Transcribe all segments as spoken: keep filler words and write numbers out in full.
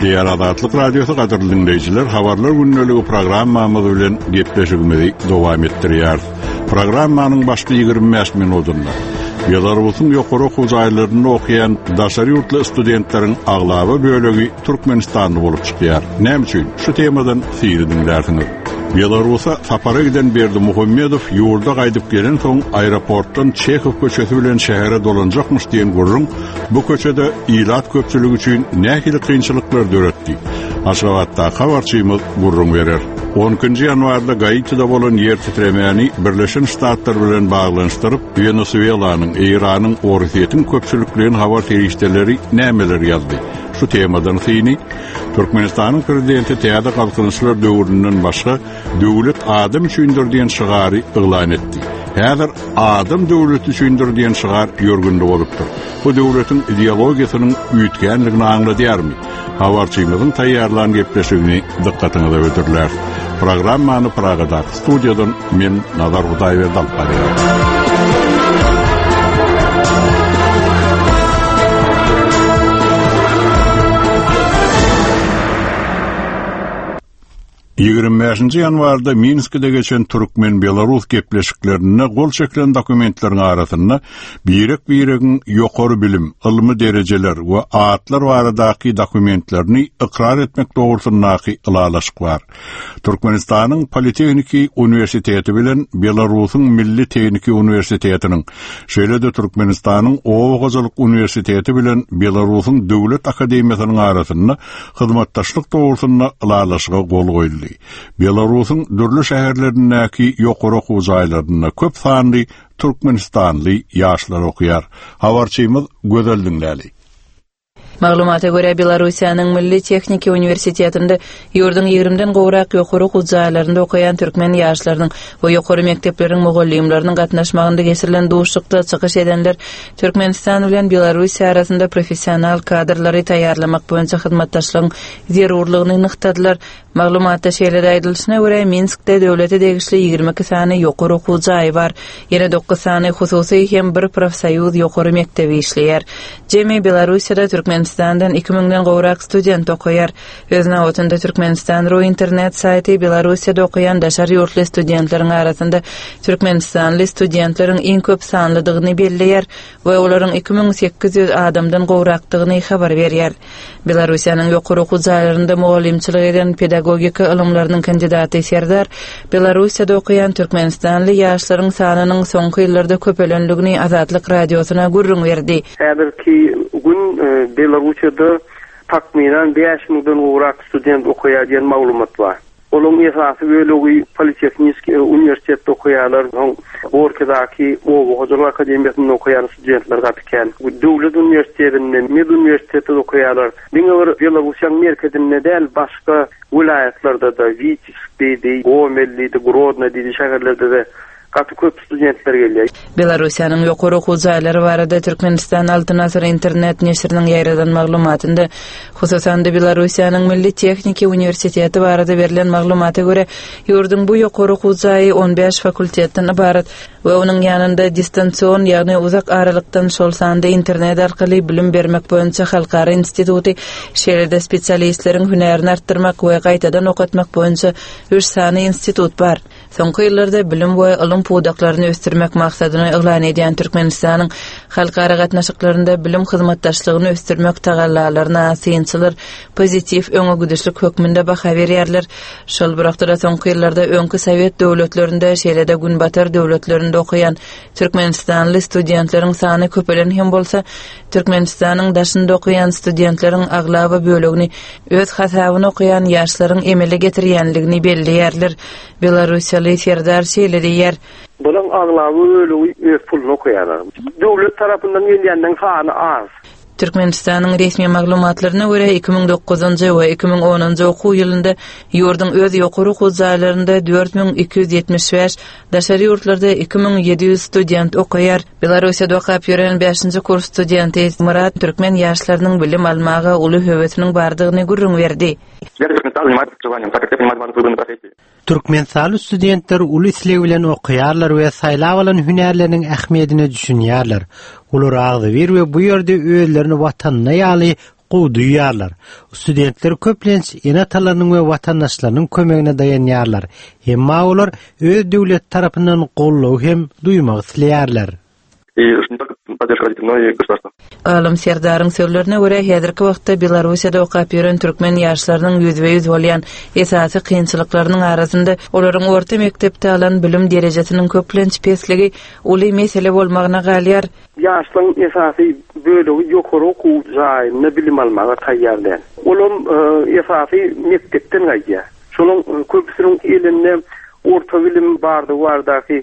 Gepleýär Azatlyk Radiosy gadyrly diňleýjiler, habarlar gündeligi programmamyz bilen gepleşigimizi dowam etdirýäris. Programmanyň başky ýigrimi bäş minutynda Belarusyň ýokary okuw jaýlarynda okaýan daşary ýurtly studentleriň aglaba bölegi Türkmenistanly bolup çykýar. Näme üçin? Şu temadan sizi diňlärsiňiz. Belarusa sapara giden Berdimuhamedow ýurda gaýdyp gelen soň aeroportdan Çehow köçesi bilen şähere dolanjakmyş diýen gürrüň bu köçede ilat köpçüligi üçin nähili kynçylyklar döretdi? Aşgabatdaky habarçymyz gürrüň berer. On ikinji ýanwarda Gaitide bolan ýer titremäni Birleşen Ştatlar bilen baglanyşdyryp, Wenesuelanyň, Eýranyň, Orsýetiň köpçülikleýin habar serişdeleri nämeler ýazdy? Şu temadan syny Türkmenistanyň prezidenti täze galkynyşlar döwründen başga döwlet adam üçindir diýen şygary yglan etdi. Häzir adam döwleti üçindir diýen şygar ýörgünli bolupdyr. Bu döwletiň ideologiýasynyň üýtgänligini aňladýarmy? Habarçymyzyň taýýarlan gepleşigini dykgatyňyza hödürler. Programmany Pragadaky studiýadan men Nazar Hudaýberdi alyp barýaryn. Ýigrimi bäşinji ýanwarda Minskide geçen türkmen-belarus gepleşiklerinde gol çekilen dokumentleriň arasynda birek-biregiň ýokary bilim, ylmy derejeler we atlar baradaky dokumentlerini ykrar etmek dogrusyndaky ylalaşyk bar. Türkmenistanyň Politehniki uniwersiteti bilen Belarusyň Milli Tehniki uniwersitetiniň, şeýle-de Türkmenistanyň Oba hojalyk uniwersiteti bilen Belarusyň Döwlet akademiýasynyň arasynda hyzmatdaşlyk dogrusynda ylalaşyga gol goýuldy. Belarusyň dürli şäherlerindäki ýokary okuw jaýlarynda köp sanly türkmenistanly ýaşlar okaýar. Habarçymyz Gözel diňläli. Maglumata görä, Belarussiýanyň Milli Tehniki uniwersitetinde ýurduň ýigrimiden gowrak ýokary okuw jaýlarynda okaýan türkmen ýaşlarynyň we ýokary mekdepleriň mugallymlarynyň gatnaşmagynda geçirilen duşuşykda çykyş edenler Türkmenistan bilen Belarussiýa arasynda professional kadrlary taýýarlamak boýunça hyzmatdaşlygyň zerurlygyny nygtadylar. Maglumatda şeýle-de aýdylyşyna görä, Minskde döwlete degişli ýigrimi iki sany ýokary okuw jaýy bar. Ýene dokuz sany hususy hem bir profsoýuz ýokary mekdebi işleýär. Jemi Belarussiýada Türkmenistandan iki müňden gowrak student okaýar. Öz nobatynda Türkmenistan ru internet saýty Belarussiýada okaýan daşary ýurtly studentleriň arasynda türkmenistanly studentleriň iň köp sanlydygyny belleýär we olaryň iki müň sekiz ýüz adamdan gowrakdygyny habar berýär. Belarussiýanyň ýokary okuw jaýlarynda mugallymçylyk eden pedagogika ylymlarynyň kandidaty Serdar Belarussiýada okaýan türkmenistanly ýaşlaryň sanynyň soňky ýyllarda köpelenligini Azatlyk Radiosyna gürrüň berdi. Häzirki gün Belarussiýada takmynan bäş müňden gowrak student okaýar diýen maglumat bar. Olaryň esasy bölegi Politehniki uniwersitetde okaýarlar, soň Gorkidaky oba hojalyk akademiýasynda okaýan studentler gaty kän. Döwlet uniwersitetinde, med uniwersitetde okaýarlar. Diňe bir Belarussiýanyň merkezinde däl, başga welaýatlarda-da, Witebsk diýdi, Gomel diýdi, Grodno diýdi şäherlerde-de gaty köp studentler gelýär. Belarussiýanyň ýokary okuw jaýlary barada Türkmenistan Altyn asyr internet neşiriniň ýaýradan maglumatynda, hususan-da Belarussiýanyň Milli Tehniki uniwersiteti barada berlen maglumata görä, ýurduň bu ýokary okuw jaýy on bäş fakultetden ybarat we onuň ýanynda distansion, ýagny uzak aralykdan, şol sanda internet arkaly bilim bermek boýunça halkara instituty, şeýle-de spesialistleriň hünärini artdyrmak we gaýtadan okatmak boýunça üç sany institut bar. Soňky ýyllarda bilim we ylym pudaklaryny ösdürmek maksadyny yglan edýän Türkmenistanyň halkara gatnaşyklarynda bilim hyzmatdaşlygyny ösdürmek tagallalaryna synçylar pozitiw öňe gidişlik hökmünde baha berýärler. Şol bir wagtda soňky ýyllarda öňki Sowet döwletlerinde, şeýle-de Günbatar döwletlerinde okaýan türkmenistanly studentleriň sany köpelen hem bolsa, Türkmenistanyň daşynda okaýan studentleriň aglaba bölegini öz hasabyna okaýan ýaşlaryň emele getirýänligini belleýärler. Belarussiýaly Serdar şeýle diýýär. Bularyň aglaba bölegi öz puluna okaýarlar. Döwlet tarapyndan gelýänleň sany az. Türkmenistanyň resmi maglumatlaryna görä iki müň dokuzynjy we iki müň onunjy okuw ýylynda ýurduň öz ýokary okuw jaýlarynda dört müň iki ýüz ýetmiş bäş, daşary ýurtlarda iki müň ýedi ýüz student okaýar. Belarussiýada okap ýören bäşinji kurs studenti Myrat türkmen ýaşlarynyň bilim almaga uly höwesiniň bardygyny gürrüň berdi. Türkmenistanly studentler uly isleg bilen okaýarlar we saýlap alan hünärleriniň ähmiýetine düşünýärler. Olar agzybir we bu ýerde özlerini watanyna ýaly gowy duýýarlar. Studentler köplenç ene-atalarynyň we watandaşlarynyň kömegine daýanýarlar. Emma olar öz döwlet tarapyndan goldaw hem duýmak isleýärler. И не только поддержка родителей, но и государства. Alym Serdaryň sözlerine görä häzirki wagtda Belarussiýada okap ýören türkmen ýaşlarynyň ýüzbe-ýüz bolýan esasy kynçylyklarynyň arasynda olaryň orta mekdepde alan bilim derejesiniň köplenç pesligi uly mesele bolmagyna galýar. Ýaşlaryň esasy bölegi ýokary okuw jaýynda bilim almaga taýýar däl. Olam e, esasy mekdepden gaýdýar. Şonuň e, köpüsiniň elinde orta bilim bardy bardaky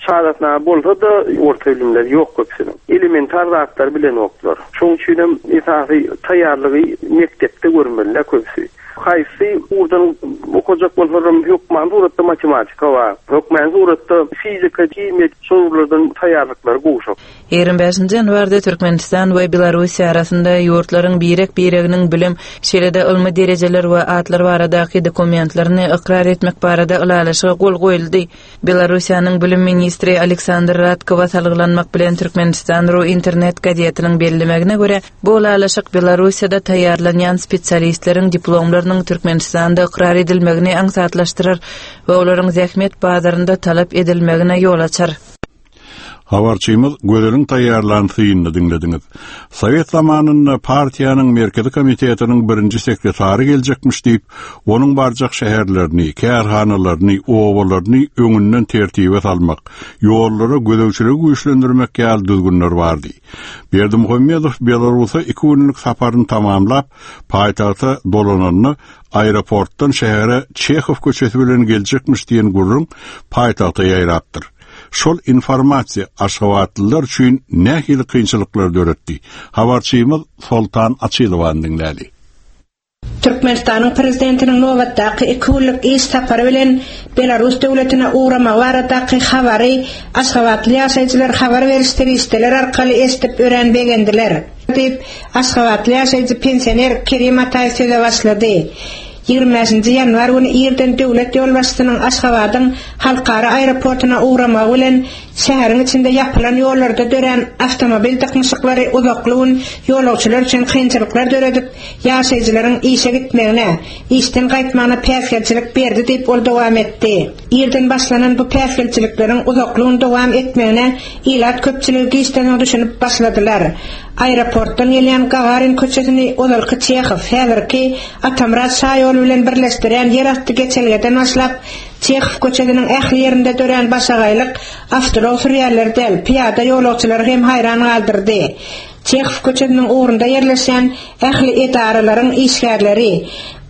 şahadatnama bolsa da orta bilimler ýok köpüsiniň. Elementar zatlar bilen oklar. Şonuň üçin hem esasy taýýarlygy mekdepde görmeliler köpüsi. Haýsy ugurdan okajak bolsalar hökman suratda matematika bar. Hökman suratda fizika, himiýa şolardan taýýarlyklary gowşak. ýigrimi bäşinji ýanwarda Türkmenistan we Belarussiýa arasynda ýurtlaryň birek-bireginiň bilim, şeýle-de ylmy derejeler we atlar baradaky dokumentlerini ykrar etmek barada ylalaşyga gol goýuldy. Belarussiýanyň bilim ministri Aleksandr Radkowa salgylanmak bilen Türkmenistan ru internet gazetiniň bellemegine görä, bu ylalaşyk Belarussiýada taýýarlanýan spesialistleriň diplomlarynyň Türkmenistanda ykrar edilmegini aňsatlaşdyrar we olaryň zähmet bazarynda talap edilmegine ýol açar. Habarçymyz Gözeliň taýýarlan synyny diňlediňiz. Sowet zamanynda partiýanyň merkezi komitetiniň birinji sekretary geljekmiş diýip, onuň barjak şäherlerini, kärhanalaryny, obalaryny öňünden tertibe salmak, ýollara gözegçiligi güýçlendirmek ýaly düzgünler bardy. Berdimuhamedow Belarusa iki günlük saparyny tamamlap, paýtagta dolananda aeroportdan şähere Çehow köçesi bilen geljekmiş diýen gürrüň paýtagta ýaýrapdyr. Şol informasiýa Aşgabatlylar üçin nähili kynçylyklar döretdi. Habarçymyz Soltan Açylowany diňläli. Türkmenistanyň prezidentiniň nobatdaky iki günlük iş sapary bilen Belarus döwletine ugramagy baradaky habary Aşgabatly ýaşaýjylar habar beriş serişdeleri arkaly eşidip örän begendiler. Diýip Aşgabatly ýaşaýjy pensioner Kerim Ataýew söze başlady. ýigrimi bäşinji ýanwar güni irden döwlet ýolbaşçysynyň Aşgabadyň halkara aeroportuna ugramagy bilen şäheriň içinde ýapylan ýollarda dörän awtomobil dyknyşyklary uzakly gün ýolagçylar üçin kynçylyklar döredip, ýaşaýjylaryň işe gitmegine, işden gaýtmagyna päsgelçilik berdi diýip ol dowam etdi. Irden başlanan bu päsgelçilikleriň uzakly gün dowam etmegine ilat köpçüligi giçden düşünip başladylar. Aeroportdan gelýän Gagarin köçesini ozalky Çehow, häzirki Atamrat şaýoly bilen birleşdirýän ýerasty geçelgeden başlap, Çehow köçesiniň ähli ýerinde dörän başagaýlyk awtoulag sürýärler däl, piýada ýolagçylary hem haýran galdyrdy. Çehow köçesiniň ugrunda ýerleşen ähli edaralaryň işgärleri,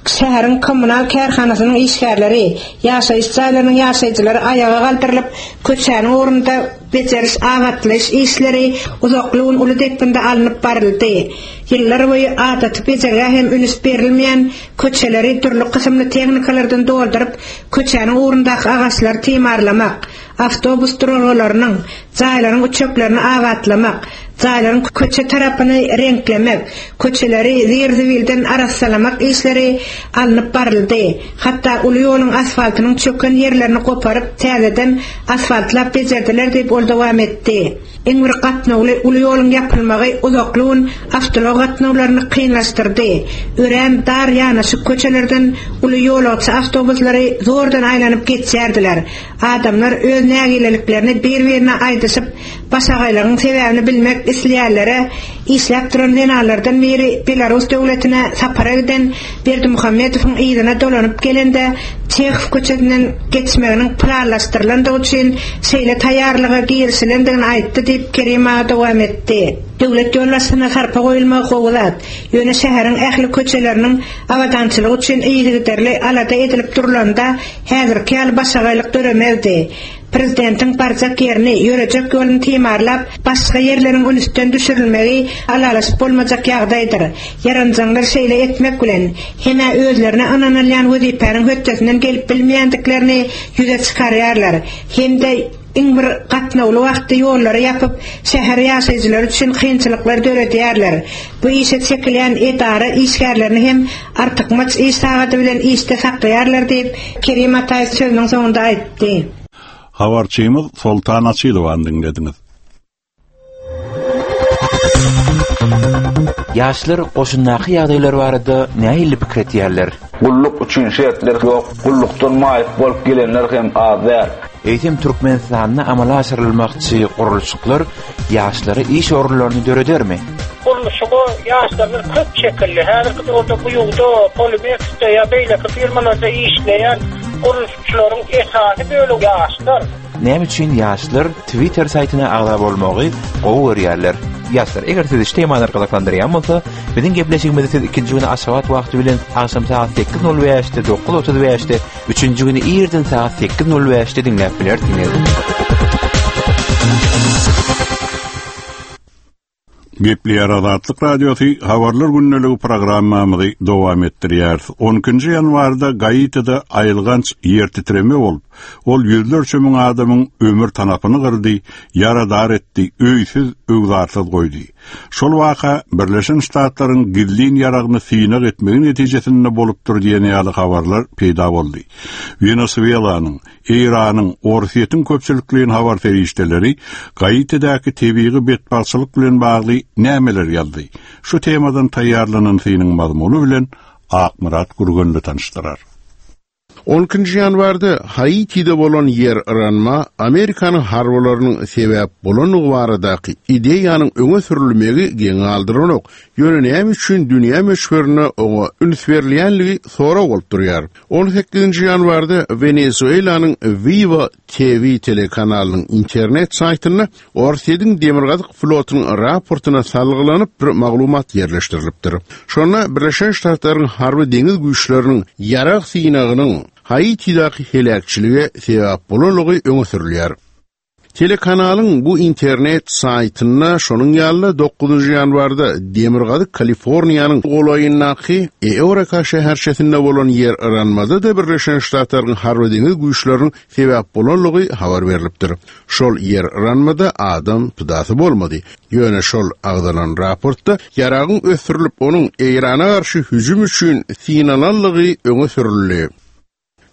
şäheriň kommunal kärhanasynyň işgärleri, ýaşaýyş jaýlarynyň ýaşaýjylary aýaga galdyrylyp, köçäniň ugrunda beceriş abatlaýyş işleri uzakly gün uly depginde alnyp baryldy. Ýyllar boýy adaty bejergä hem üns berilmeýän köçeleri dürli kysymly tehnikalardan dolduryp, köçäniň ugrundaky agaçlary timarlamak, awtobus duralgalarynyň, jaýlaryň üçeklerini abatlamak, jaýlaryň köçe tarapyny reňklemek, köçeleri zir-zibilden arassalamak işleri alnyp baryldy. Hatda uly ýoluň asfaltynyň çöken ýerlerini goparyp, täzeden asfaltlap bejerdiler diýip ol dowam etdi. Iň bir gatnawly uly ýoluň ýapylmagy uzakly gün awtoulag gatnawlaryny kynlaşdyrdy. Örän dar ýanaşyk köçelerden uly ýolagçy awtobuslary zordan aýlanyp geçýärdiler. Adamlar öz nägileliklerini bir-birine aýdyşyp, başagaýlygyň sebäbini bilmek isleýärlere işläp duran zenanlardan biri Belarus döwletine sapara giden Berdimuhamedowyň yzyna dolanyp gelende Çehow köçesinden geçmeginiň planlaşdyrylandygy üçin şeýle taýýarlyga girişilendigini aýtdy diýip Kerim aga dowam etdi. Döwlet ýolbaşçysyna sarpa goýulmagy gowy zat. Ýöne şäheriň ähli köçeleriniň abadançylygy üçin yzygiderli alada edilip durulanda häzirki ýaly başagaýlyk döremezdi. Prezidentiň barjak ýerini, ýörejek ýoluny timarlap, başga ýerleriň ünsden düşürilmegi alalaşyp bolmajak ýagdaýdyr. Ýaranjaňlar şeýle etmek bilen hemä özlerine ynanylýan wezipäniň hötdesinden gelip bilmeýändiklerini ýüze çykarýarlar. Hem-de iň bir gatnawly wagtda ýollary ýapyp, şäher ýaşaýjylary üçin kynçylyklar döredýärler. Bu işe çekilýän edara işgärlerini hem artykmaç iş sagady bilen işde saklaýarlar diýip Kerim Ataýew sözüniň soňunda aýtdy. Habarçymyz Soltan Açylowany diňlediňiz. Ýaşlar goşundaky ýagdaýlar barada nähili pikir etýärler? Gulluk üçin şertler ýok. Gullukdan maýyp bolup gelenler hem az däl. Eýsem Türkmenistanda amala aşyrylmakçy gurluşyklar ýaşlara iş orunlaryny döredermi? Gurluşyga ýaşlarymyz köp çekildi. Häzirki döwürde bu ýurda Polimex'de ýa beýleki firmalarda işleýän gurluşykçylaryň esasy bölegi ýaşlar. Näme üçin ýaşlar Twitter saýtyna agza bolmagy gowy görýärler? Ýaşlar, eger sizi şu temalar gyzyklandyrýan bolsa, biziň gepleşigimizi siz ikinji güni Aşgabat wagty bilen agşam saat sekiz nol bäşde, dokuz otuz bäşde, üçünji güni irden saat sekiz nol bäşde diňläp bilersiňiz. Gepleýär Azatlyk Radiosy Habarlar gündeligi programmamyzy dowam etdirýär. on ikinji ýanwarda Gaitide aýylganç ýer titreme bolup, ol ýüzlerçe müň adamyň ömür tanapyny gyrdy, ýaradar etdi, öýsüz, öwzarsyz goýdy. Şol waka Birleşen Ştatlaryň gizlin ýaragyny synag etmegi netijesinde bolupdyr diýen ýaly habarlar peýda boldy. Wenesuelanyň, Eýranyň, Orsýetiň köpçülikleýin habar serişdeleri Gaitidäki tebigy betbagtçylyk bilen bagly nämeler ýazdy? Şu temadan taýýarlanan synyň mazmuny bilen Akmyrat Gürgenli tanyşdyrar. on ikinji ýanwarda Haitide bolan ýer yranma Amerikanyň harbylarynyň sebäp bolanlygy baradaky ideýanyň öňe sürülmegi geň galdyranok. Ýöne näme üçin dünýä möçberine oňa üns berilýänligi sorag bolup durýar. on sekizinji ýanwarda Wenesuelanyň Viva T V telekanalynyň internet saýtynda Orsýetiň Demirgazyk flotunyň raportyna salgylanyp bir maglumat ýerleşdirilipdir. Şonda Birleşen Ştatlaryň harby deňiz güýçleriniň ýarag synagynyň Haitidäki heläkçilige sebäp bolanlygy öňe sürülýär. Telekanalyň bu internet saýtynda şonuň ýaly dokuzynjy ýanwarda Demirgazyk Kaliforniýanyň golaýyndaky Eureka şäherçesinde bolan ýer yranmada-da Birleşen Ştatlaryň harby deňiz güýçleriniň sebäp bolanlygy habar berilipdir. Şol ýer yranmada adam pidasy bolmady. Ýöne şol agzalan raportda ýaragyň ösdürilip onuň Eýrana garşy hüjüm üçin synalanlygy öňe sürüldi.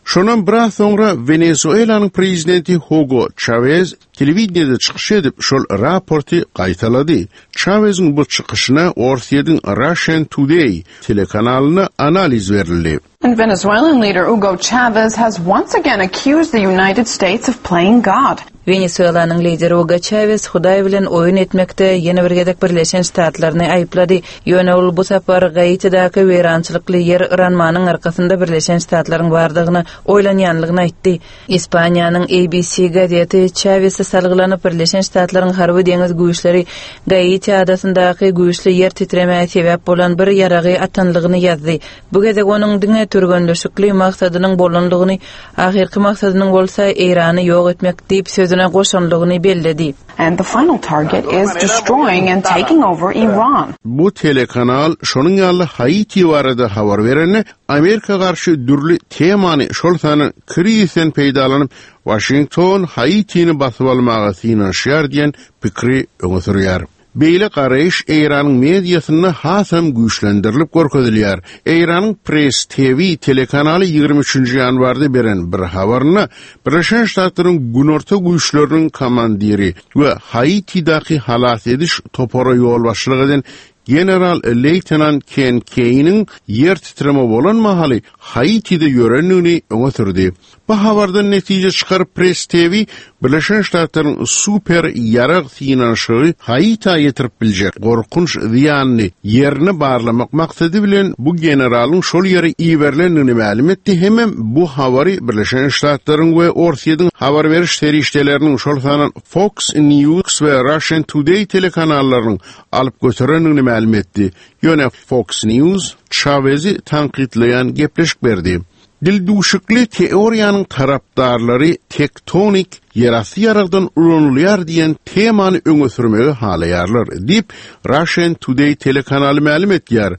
Şondan biraz soňra Wenezuelanyň prezidenti Hugo Chavez telewideniýede çykyş edip şol raporty gaýtalady. Chavez'iň bu çykyşyna Orsýetiň Russian Today telekanalyna analiz berildi. And Venezuelan leader Hugo Chavez has once again accused the United States of playing God. Venezuelanyň lideri Hugo Chavez Hudaý bilen oýun etmekde ýene bir gezek Birleşen Ştatlaryny aýyplady. Ýöne ol bu sapar Gaitidäki weýrançylykly ýer yranmanyň arkasynda Birleşen Ştatlaryň bardygyny oýlanýanlygyny aýtdy. Ispaniýanyň A B C gazeti Chavez'e salgylanyp Birleşen Ştatlaryň harby deňiz güýçleri Gaiti adasyndaky güýçli ýer titremä sebäp bolan bir ýaragy atanlygyny ýazdy. Bu gezek onuň diňe türgenleşikli maksadynyň bolanlygyny, ahyrky maksadynyň bolsa Eýrany ýok etmek diýip sözüne goşanlygyny belledi. And the final target is destroying and taking over Iran. Bu telekanal şonuň ýaly Haiti barada habar berende Amerika garşy dürli temany şol sany krizden peýdalanyp Washington Haitini basyp almaga synanyşýar diýen pikri öňe sürýär. Beýle garaýyş Eýranyň mediasynda hasam güýçlendirilip görkezilýär. Eýranyň Press T V telekanaly ýigrimi üçünji ýanwarda beren bir habarynda Birleşen Ştatlaryň günorta güýçleriniň komandiri we Haitidäki halas ediş topara ýolbaşçylyk eden General Leýtenant Ken Keýniň ýer titreme bolan mahaly Haitide ýörendigini öňe sürdi. Bu habardan netije çykaryp Press T V Birleşen Ştatlaryň super ýarag synanyşygy Haita ýetirip biljek gorkunç zyýanyny ýerine barlamak maksady bilen bu generalyň şol ýere iberilendigini mälim etdi. Hemem bu habary Birleşen Ştatlaryň we Orsýetiň habar beriş serişdeleriniň şol sanan Fox News we Russian Today telekanallarynyň alyp göterendigini mälim etdi. Ýöne Fox News Chavez'i tankytlaýan gepleşik berdi. Dildüşükli teoriýanyň tarapdarlary tektonik ýerasty ýaragdan ulanylýar diýen temany öňe sürmegi halaýarlar diýip Russian Today telekanaly mälim etýär.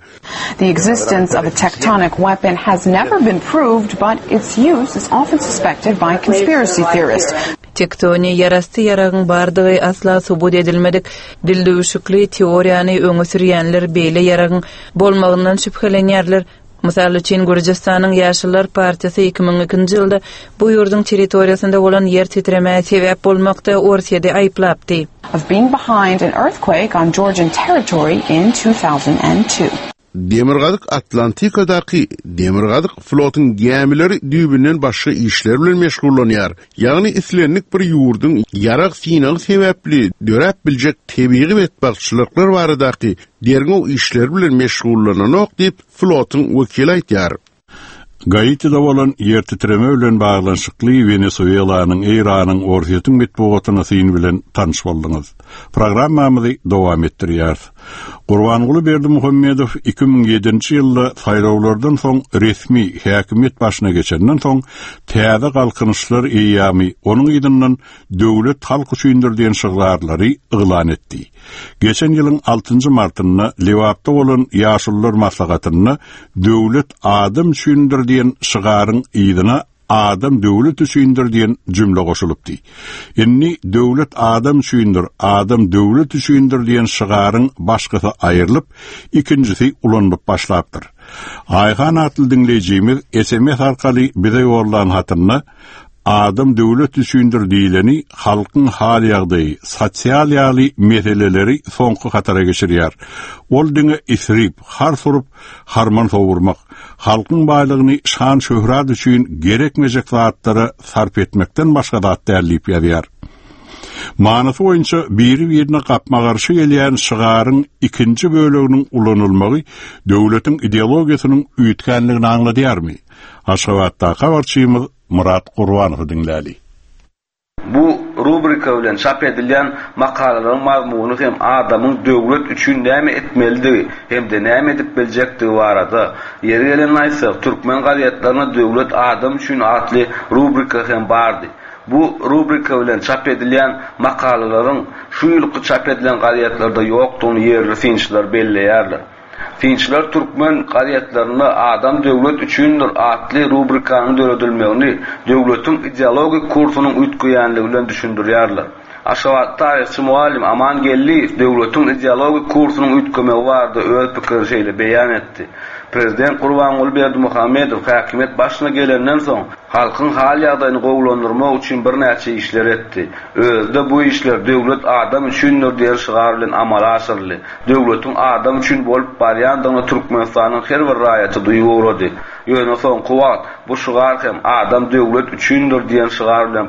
The existence of a tectonic weapon has never been proved, but its use is often suspected by conspiracy theorists. Tektoni ýerasty ýaragyň bardygy asla subut edilmedik. Dildüşükli teoriýany öňe sürýänler beýle ýaragyň bolmagyndan şübhelenýärler. Mysal üçin Gürjüstanyň Ýaşyllar partiýasy iki müň ikinji ýylda bu ýurduň territoriýasynda bolan ýer titremä sebäp bolmakda Orsýeti aýyplapdy. Of being behind an earthquake on Georgian territory in two thousand and two. Demirgazyk Atlantikadaky Demirgazyk flotyň gämileri düýbünden başga işler bilen meşgullanýar. Ýagny islendik bir ýurduň ýarag synagy sebäpli döräp biljek tebigy betbagtçylyklar baradaky derňew işleri bilen meşgullananok diýip flotyň wekili aýtýar. Gaitide bolan ýer titreme bilen baglanyşykly Wenesuelanyň, Eýranyň, Orsýetiň metbugatyna syn bilen tanyş bolduňyz. Programmamyzy dowam etdirýäris. Gurbanguly Berdimuhamedow iki müň ýedinji ýylda saýlawlardan soň resmi häkimiýet başyna geçenden soň täze galkynyşlar eýýamy onuň ýyndyndan döwlet halk üçindir diýen şygarlary yglan etdi. Geçen ýylyň altynjy martynda Lebapda bolan Ýaşullar maslahatynda döwlet adam üçindir diýen şygaryň yzyna adam döwlet üçindir diýen jümle goşulypdy. Indi döwlet adam üçindir, adam döwlet üçindir diýen şygaryň başgysy aýrylyp, ikinjisi ulanylyp başlapdyr. Aýhan atly diňleýjimiz S M S arkaly bize ýollan hatynda adam döwlet üçindir diýileni halkyň hal ýagdaýy, sosial ýaly meseleleri soňky hatara geçirýär. Ol diňe isrip, har surup, harman sowurmak, halkyň baýlygyny şan şöhrat üçin gerekmejek zatlara sarp etmekden başga zat däl diýip ýazýar. Manysy boýunça biri-birine gapma-garşy gelýän şygaryň ikinji böleginiň ulanylmagy döwletiň ideologiýasynyň üýtgänligini aňladýarmy? Aşgabatdaky habarçymyz Murat Gurbanowy diňläli. Bu rubrika bilen çap edilýän makalalaryň mazmuny hem adamyň döwlet üçin näme etmelidigi hem-de näme edip biljekdigi barada. Ýeri gelen aýtsak, türkmen gazetlerinde döwlet adam üçin atly rubrika hem bardy. Bu rubrika bilen çap edilýän makalalaryň şu ýylky çap edilen gazetlerde ýokdugyny ýerli synçylar belleýärler. Synçylar türkmen gazetlerinde adam döwlet üçindir atly rubrikanyň döredilmegini döwletiň ideologik kursunyň üýtgeýänligi bilen düşündirýärler. Aşgabat taryhçy muallim Aman Geldiýew döwletiň ideologik kursunyň üýtgemegi barada öz pikirini şeýle beýan etdi. Prezident Gurbanguly Berdimuhamedow häkimiýet başyna gelenden soň halkyň hal ýagdaýyny gowulandyrmak üçin birnäçe işler etdi. Özde bu işler döwlet adam üçindir diýen şygar bilen amala aşyryldy. Döwletiň adam üçin bolup barýandygyny Türkmenistanyň her bir raýaty duýup ugrady. Ýöne soňky wagt bu şygar hem adam döwlet üçindir diýen şygar bilen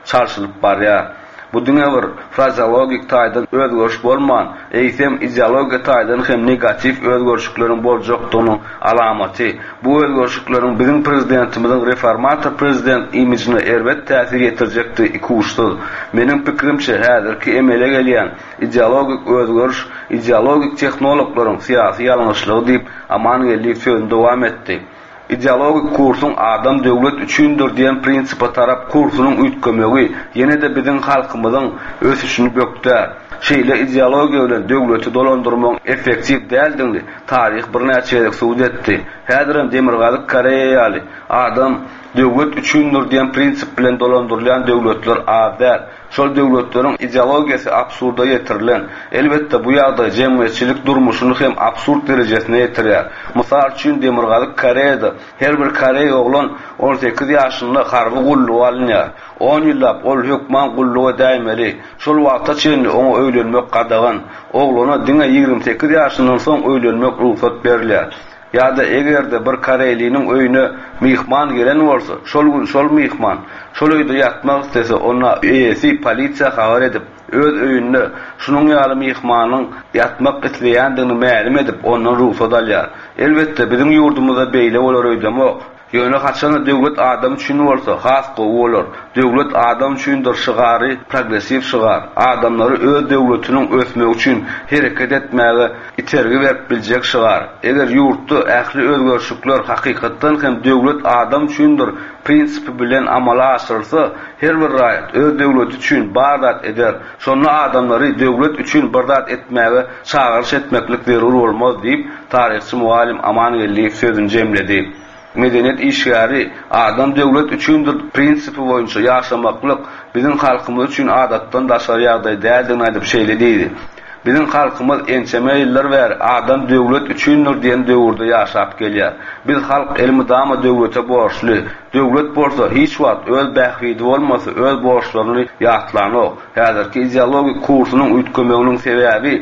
çalşylyp barýar. Bu diňe bir frazeologik taýdan özgeriş bolman, eýsem ideologiýa taýdan hem negatiw özgerişlikleriň boljakdygynyň alamaty. Bu özgerişlikleriň biziň prezidentimiziň reformator prezident imijine erbet täsir ýetirjekdigi ikuçsuz. Meniň pikirimçe, häzirki emele gelýän ideologik özgeriş ideologik tehnologlaryň syýasy ýalňyşlygy diýip Aman Geldiýew sözüni dowam etdi. Ideologik kursuň adam döwlet üçindir diýen prinsipe tarap kursunyň üýtgemegi ýene-de biziň halkymyzyň ösüşini bökdär. Şeýle ideologiýa bilen döwleti dolandyrmagyň effektiw däldigini taryh birnäçe gezek subut etdi. Häzirem Demirgazyk Koreýa ýaly adam döwlet üçindir diýen prinsip bilen dolandyrylýan döwletler az däl. Şol döwletleriň ideologiýasy absurda ýetirilen. Elbetde bu ýagdaý jemgyýetçilik durmuşyny hem absurd derejesine ýetirýär. Mysal üçin Demirgazyk Koreýada her bir koreý oglan on sekiz ýaşynda harby gulluga alynýar. On ýyllap ol hökman gulluga däýmeli. Şol wagta çenli oňa öýlenmek gadagan. Oglana diňe ýigrimi sekiz ýaşyndan soň öýlenmek rugsat berilýär. Ýa-da eger-de bir koreýliniň öýüne myhman gelen bolsa, şol gün şol myhman şol öýde ýatmak istese, onda eýesi polisiýa habar edip, öz öýünde şunuň ýaly myhmanyň ýatmak isleýändigini mälim edip, ondan rugsat alýar. Elbetde biziň ýurdumyzda beýle bolar öýdemok. Ýöne haçanda döwlet adam üçin bolsa, has gowy bolar. Döwlet adam üçindir şygary, progressiw şygar. Adamlary öz döwletiniň ösmegi üçin hereket etmäge itergi berip biljek şygar. Eger ýurtda ähli özgerişlikler hakykatdan hem döwlet adam üçindir prinsipi bilen amala aşyrylsa, her bir raýat öz döwleti üçin bar zat eder. Şonda adamlary döwlet üçin bir zat etmäge çagyryş etmeklik zerur bolmaz diýip, taryhçy muallim Aman Geldiýew sözüni jemledi. Medeniýet işgäri adam döwlet üçindir prinsipi boýunça ýaşamaklyk biziň halkymyz üçin adatdan daşary ýagdaý däldigini aýdyp şeýle diýdi. Biziň halkymyz ençeme ýyllar bäri adam döwlet üçindir diýen döwürde ýaşap gelýär. Biz halk elmydama döwlete borçly. Döwlet bolsa hiç wagt öz bähbidi bolmasa öz borçlaryny ýatlanok. Häzirki ideologik kursunyň üýtgemeginiň sebäbi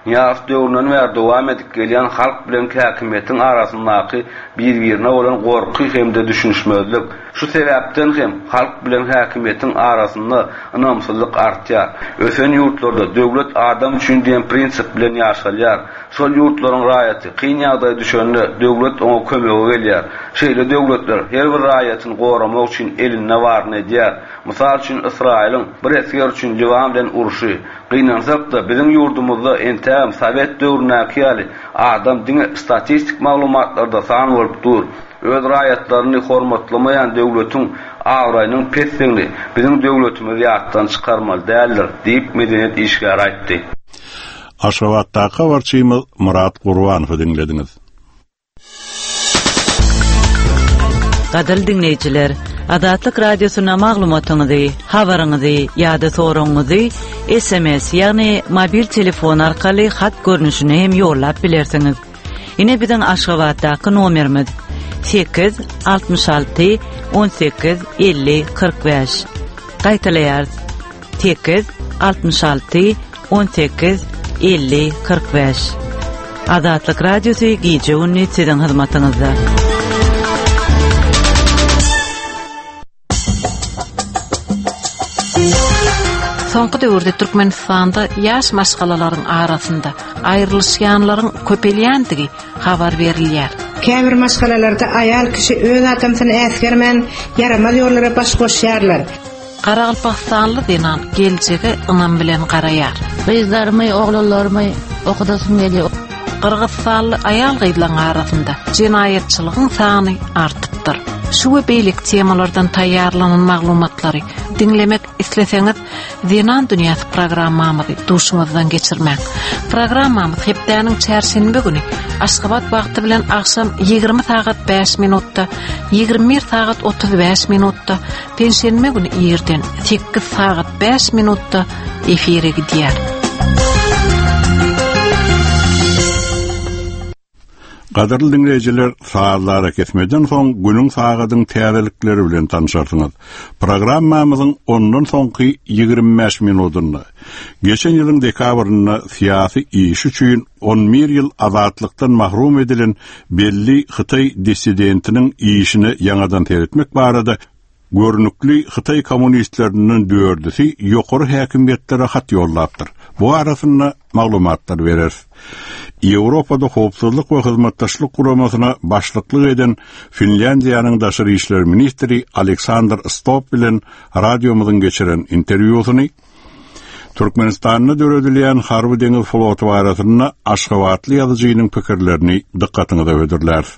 Nyýazow döwründen bäri dowam edip gelýän halk bilen häkimiýetiň arasyndaky bir-birine bolan gorky hem-de düşünişmezlik. Şu sebäpden hem halk bilen häkimiýetiň arasynda ynamsyzlyk artýar. Ösen ýurtlarda döwlet adam üçin diýen prinsip bilen ýaşalýar. Şol ýurtlaryň raýaty kyn ýagdaýa düşende döwlet oňa kömege gelýär. Şeýle döwletler her bir raýatyny goramak üçin elinde baryny edýär. Mysal üçin Ysraýylyň bir esger üçin Liwan bilen urşy. Gynansak-da biziň ýurdumyzda entägem sowet döwründäki ýaly adam diňe statistik maglumatlarda san bolup dur. Öz raýatlaryny hormatlamaýan döwletiň abraýynyň pesligini biziň döwletimiz ýatdan çykarmaly däldir diýip medeniýet işgäri aýtdy. Aşgabatdaky habarçymyz Murat Gurbanowy diňlediňiz. Gadyrly diňleýjiler, Azatlyk Radiosyna maglumatyňyzy, habaryňyzy ýa-da soragyňyzy S M S, ýagny mobil telefon arkaly hat görnüşinde hem ýollap bilersiňiz. Ine biziň Aşgabatdaky nomerimiz: sekiz altmyş alty on sekiz elli kyrk bäş. Gaýtalaýarys: sekiz altmyş alty on sekiz elli kyrk bäş. Azatlyk Radiosy gije gündüz siziň hyzmatyňyzda. Soňky döwürde Türkmenistanda ýaş maşgalalaryň arasynda aýrylyşýanlaryň köpelýändigi habar berilýär. Käbir maşgalalarda aýal kişi öz adamsyny äsgermän ýaramaz ýollara baş goşýarlar. Garagalpagystanly zenan geljege ynam bilen garaýar. Gyzlarymy, oglanlarymy okudasym gelýär. Gyrgyzystanly aýal gyzlaryň arasynda jenaýatçylygyň sany artypdyr. Şu we beýleki temalardan taýýarlanan maglumatlary diňlemek isleseňiz, Zenan Dünýäsi programmamyzy duşuňyzdan geçirmäň. Programmamyz hepdäniň çarşenbe güni Aşgabat wagty bilen agşam ýigrimi sagat bäş minutda, ýigrimi bir sagat otuz bäş minutda, penşenbe güni irden sekiz sagat bäş minutda efire gidýär. Gadyrly diňleýjiler, sazly arakesmeden soň günüň sagadyň täzelikleri bilen tanışarsyňyz. Programmamyzyň ondan soňky ýigrimi bäş minutynda geçen ýylyň dekabrynda syýasy iş üçin on bir ýyl azatlykdan mahrum edilen belli Hytaý dissidentiniň işine ýaňadan seretmek barada görnükli Hytaý kommunistlerinden dördüsi ýokary häkimiýetlere hat ýollapdyr. Bu arasynda maglumatlar berer. Ýewropada Howpsuzlyk we Hyzmatdaşlyk Guramasyna başlyklyk eden Finlýandiýanyň daşary işler ministri Aleksandr Stubb bilen radiomyzyň geçiren interwýusyny, Türkmenistanda döredilýän harby deňiz floty barasynda Aşgabatly ýazyjynyň pikirlerini dykgatyňyza hödürläris.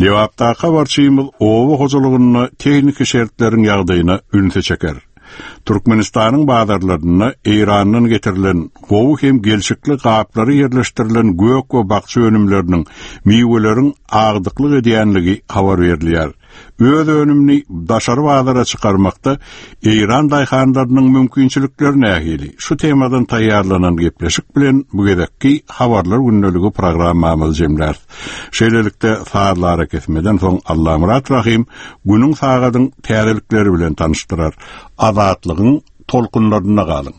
Lebapdaky habarçymyz oba hojalygynda tehniki şertleriň ýagdaýyna ünsi çeker. Türkmenistanyň bazarlarynda Eýrandan getirilen gowy hem gelşikli gaplary ýerleşdirilen gök we bakja önümleriniň, miweleriň agdyklyk edýänligi habar berilýär. Öz önümini daşary bazara çykarmakda Eýran daýhanlarynyň mümkinçilikleri nähili? Şu temadan taýýarlanan gepleşik bilen bu gezekki habarlar gündeligi programmamyzy jemläris. Şeýlelikde sazly arakesmeden soň Allamyrat Rahim günüň sagadyň täzelikleri bilen tanyşdyrar. Azatlygyň tolkunlarynda galyň.